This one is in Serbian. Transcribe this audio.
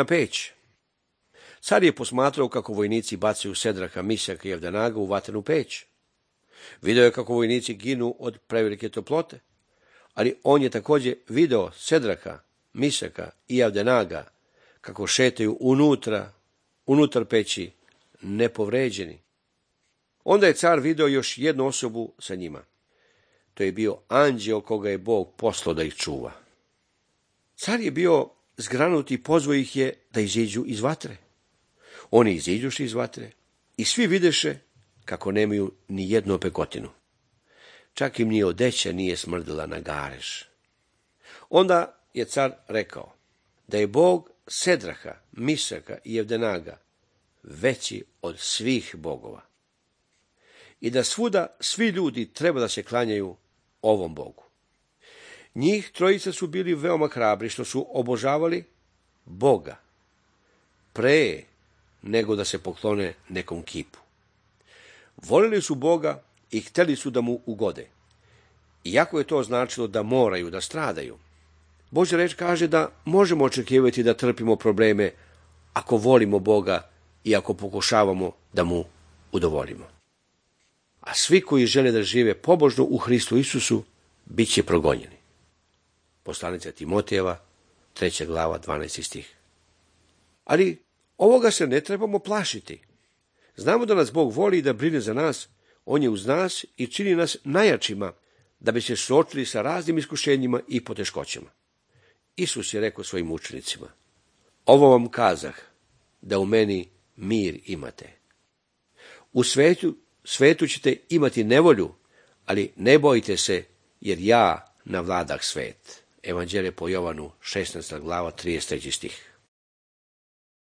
na peć. Car je posmatrao kako vojnici bacaju Sedraha, Mišaka i Avdenaga u vatrenu peć. Video je kako vojnici ginu od prevelike toplote, ali on je također video Sedraha, Mišaka i Avdenaga kako šetaju unutar peći, nepovređeni. Onda je car video još jednu osobu sa njima. To je bio anđeo koga je Bog poslao da ih čuva. Car je bio zgranut i pozvao ih je da iziđu iz vatre. Oni iziđuši iz vatre i svi videše kako nemaju ni jednu opekotinu. Čak im ni odeća nije smrdila na gareš. Onda je car rekao da je Bog Sedraha, Mišaka i Avdenaga veći od svih bogova i da svuda svi ljudi treba da se klanjaju ovom Bogu. Njih trojica su bili veoma hrabri što su obožavali Boga pre nego da se poklone nekom kipu. Volili su Boga i hteli su da mu ugode, iako je to značilo da moraju da stradaju. Božja reč kaže da možemo očekivati da trpimo probleme ako volimo Boga i ako pokušavamo da mu udovoljimo. A svi koji žele da žive pobožno u Hristu Isusu bit će progonjeni. Poslanica Timotejeva, 3. glava, 12. stih. Ali ovoga se ne trebamo plašiti. Znamo da nas Bog voli i da brine za nas, on je uz nas i čini nas najjačima da bi se suočili sa raznim iskušenjima i poteškoćama. Isus je rekao svojim učenicima: ovo vam kazah, da u meni mir imate. U svetu ćete imati nevolju, ali ne bojte se, jer ja navladah svet. Evanđelje po Jovanu, 16. glava, 33. stih.